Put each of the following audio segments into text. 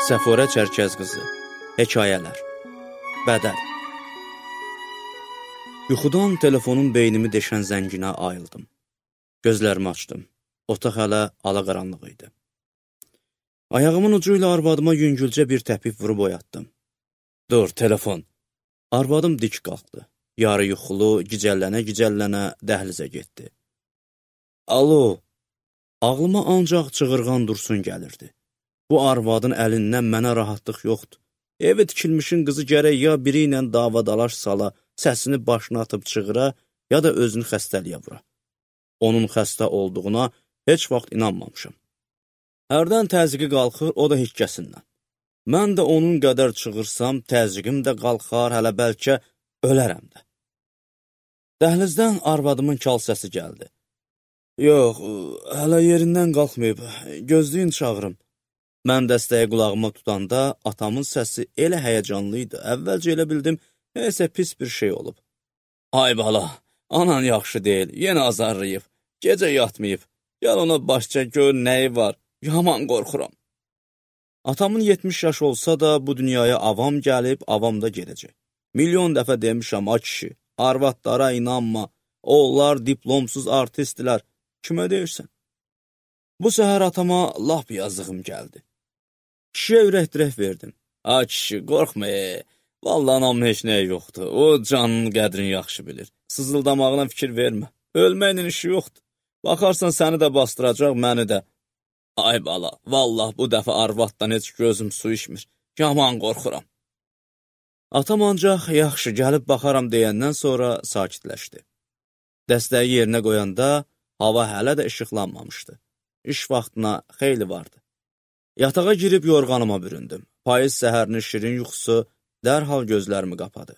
Səfurə Çərkəz qızı. Hekayələr. Bədəl. Yuxudan telefonun beynimi deşən zənginə ayıldım. Gözlərimi açdım. Otaq hələ alaqaranlıq idi. Ayağımın ucu ilə arvadıma yüngülcə bir təpik vurub oyatdım. Dur, telefon. Arvadım dik qalxdı. Yarı yuxulu, gicəllənə dəhlizə getdi. Alo. Ağlıma ancaq çığırğan Dursun gəlirdi. Bu arvadın əlindən mənə rahatlıq yoxdur. Evi tikilmişin qızı gərək ya biri ilə davadalaş sala, səsini başına atıb çığıra, ya da özünü xəstəliyə vura. Onun xəstə olduğuna heç vaxt inanmamışım. Hərdən təzyiqi qalxır, o da hikkəsindən. Mən də onun qədər çığırsam, təzyiqim də qalxar, hələ bəlkə ölərəm də. Dəhlizdən arvadımın kal səsi gəldi. Yox, hələ yerindən qalxmayıb, gözləyin çağırım. Mən dəstəyi qulağıma tutanda atamın səsi elə həyəcanlı idi. Əvvəlcə elə bildim, neysə pis bir şey olub. Ay bala, anan yaxşı deyil, yenə azarlayıb, gecə yatmayıb. Gəl ona başca gör nəyi var, yaman qorxuram. Atamın 70 yaş olsa da bu dünyaya avam gəlib, avam da gedəcək. Milyon dəfə demişəm, a kişi, arvadlara inanma, onlar diplomsuz artistlər, kimə deyirsən? Bu səhər atama lap yazığım gəldi. Kişiyə ürək-dirək verdim. A kişi, qorxma, vallahi anamın heç nəyi yoxdur. O canının qədrini yaxşı bilir. Sızıldamağına fikir vermə. Ölməklə işi yoxdur. Baxarsan səni də bastıracaq, məni də. Ay bala, vallahi bu dəfə arvaddan heç gözüm su içmir. Yaman qorxuram. Atam ancaq yaxşı gəlib baxaram deyəndən sonra sakitləşdi. Dəstəyi yerinə qoyanda hava hələ də işıqlanmamışdı. İş vaxtına xeyli vardı. Yatağa girib yorğanıma büründüm. Payız səhərinin şirin yuxusu dərhal gözlərimi qapadı.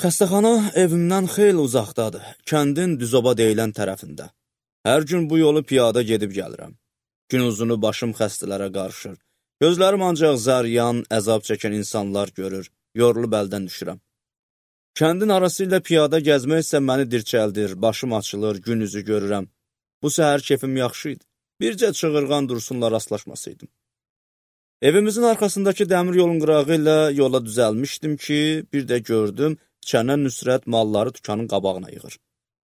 Xəstəxana evimdən xeyli uzaqdadır, kəndin Düzoba deyilən tərəfində. Hər gün bu yolu piyada gedib gəlirəm. Gün uzunu başım xəstələrə qarışır. Gözlərim ancaq zəryan, əzab çəkən insanlar görür, yorulub əldən düşürəm. Kəndin arası ilə piyada gəzmək isə məni dirçəldir, başım açılır, gün üzü görürəm. Bu səhər keyfim yaxşı idi. Bircə çığırğan Dursunla rastlaşmasaydım. Evimizin arxasındakı dəmir yolun qırağı ilə yola düzəlmişdim ki, bir də gördüm, Çənə Nüsrət malları dükanın qabağına yığır.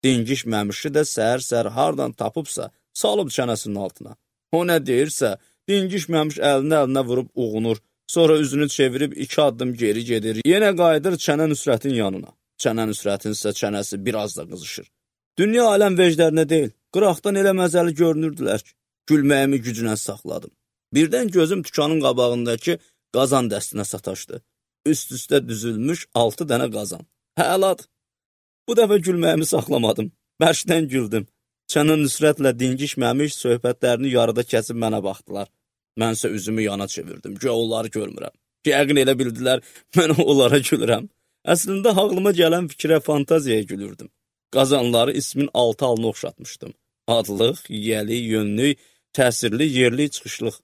Dingiş məmişi də səhər-səhər hardan tapıbsa, salıb çənəsinin altına. O nə deyirsə, dingiş məmiş əlinə vurub uğunur, sonra üzünü çevirib 2 addım geri gedir, yenə qayıdır Çənə Nüsrətin yanına. Çənə Nüsrətin isə çənəsi biraz da qızışır. Dünya aləm vecdərinə deyil, qıraqdan elə məzəli görünürdülər ki, gülməyimi gücünə saxladım. Birdən gözüm dükanın qabağındakı qazan dəstinə sataşdı. Üst-üstə düzülmüş 6 dənə qazan. Həladır. Bu dəfə gülməyimi saxlamadım. Bərkdən güldüm. Çənə Nüsrətlə dingiş məmiş söhbətlərini yarıda kəsib mənə baxdılar. Mənsə üzümü yana çevirdim. Güya onları görmürəm. Yəqin elə bildilər, mən onlara gülürəm. Əslində ağlıma gələn fikrə, fantaziyaya gülürdüm. Qazanları ismin 6 alını oxşatmışdım. Adlıq, yiyəli, yönlük, təsirli, yerli, çıxışlıq.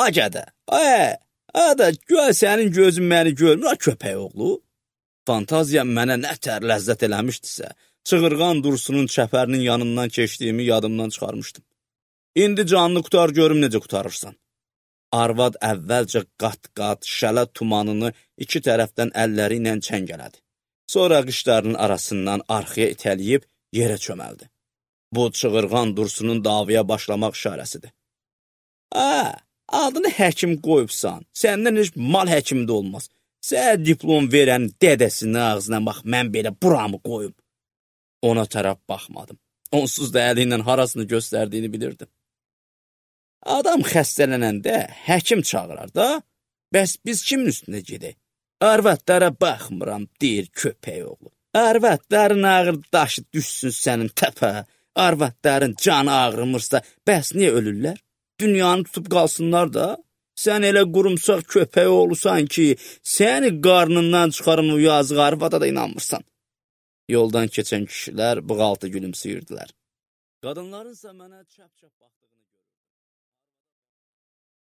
Agədə, da, güya sənin gözün məni görmür, köpək oğlu. Fantaziyam mənə nə tər ləzzət eləmişdisə, çığırğan Dursunun çəpərinin yanından keçdiyimi yadımdan çıxarmışdım. İndi canını qutar görüm necə qutarırsan. Arvad əvvəlcə qat-qat, şələ tumanını 2 tərəfdən əlləri ilə çəngələdi. Sonra qışlarının arasından arxaya itələyib yerə çöməldi. Bu çığırğan Dursunun davaya başlamaq işarəsidir. Adını həkim qoyubsan, səndən heç mal həkimi də olmaz. Sən diplom verən dədəsinin ağzına bax, mən belə buramı qoyum. Ona tərəf baxmadım. Onsuz da əli ilə harasını göstərdiyini bilirdim. Adam xəstələnəndə həkim çağırar da, bəs biz kimin üstünə gedək? Arvadlara baxmıram, deyir köpək oğlu. Arvadların ağır daşı düşsün sənin təpə. Arvadların canı ağrımırsa, bəs niyə ölürlər? Dünyanı tutub qalsınlar da. Sən elə qurumsaq köpək oğlusan ki, səni qarnından çıxarın o yazıq arvada da inanmırsan. Yoldan keçən kişilər bığaltı gülümsəyirdilər. Qadınlarınsa mənə çəp-çəp baxdı.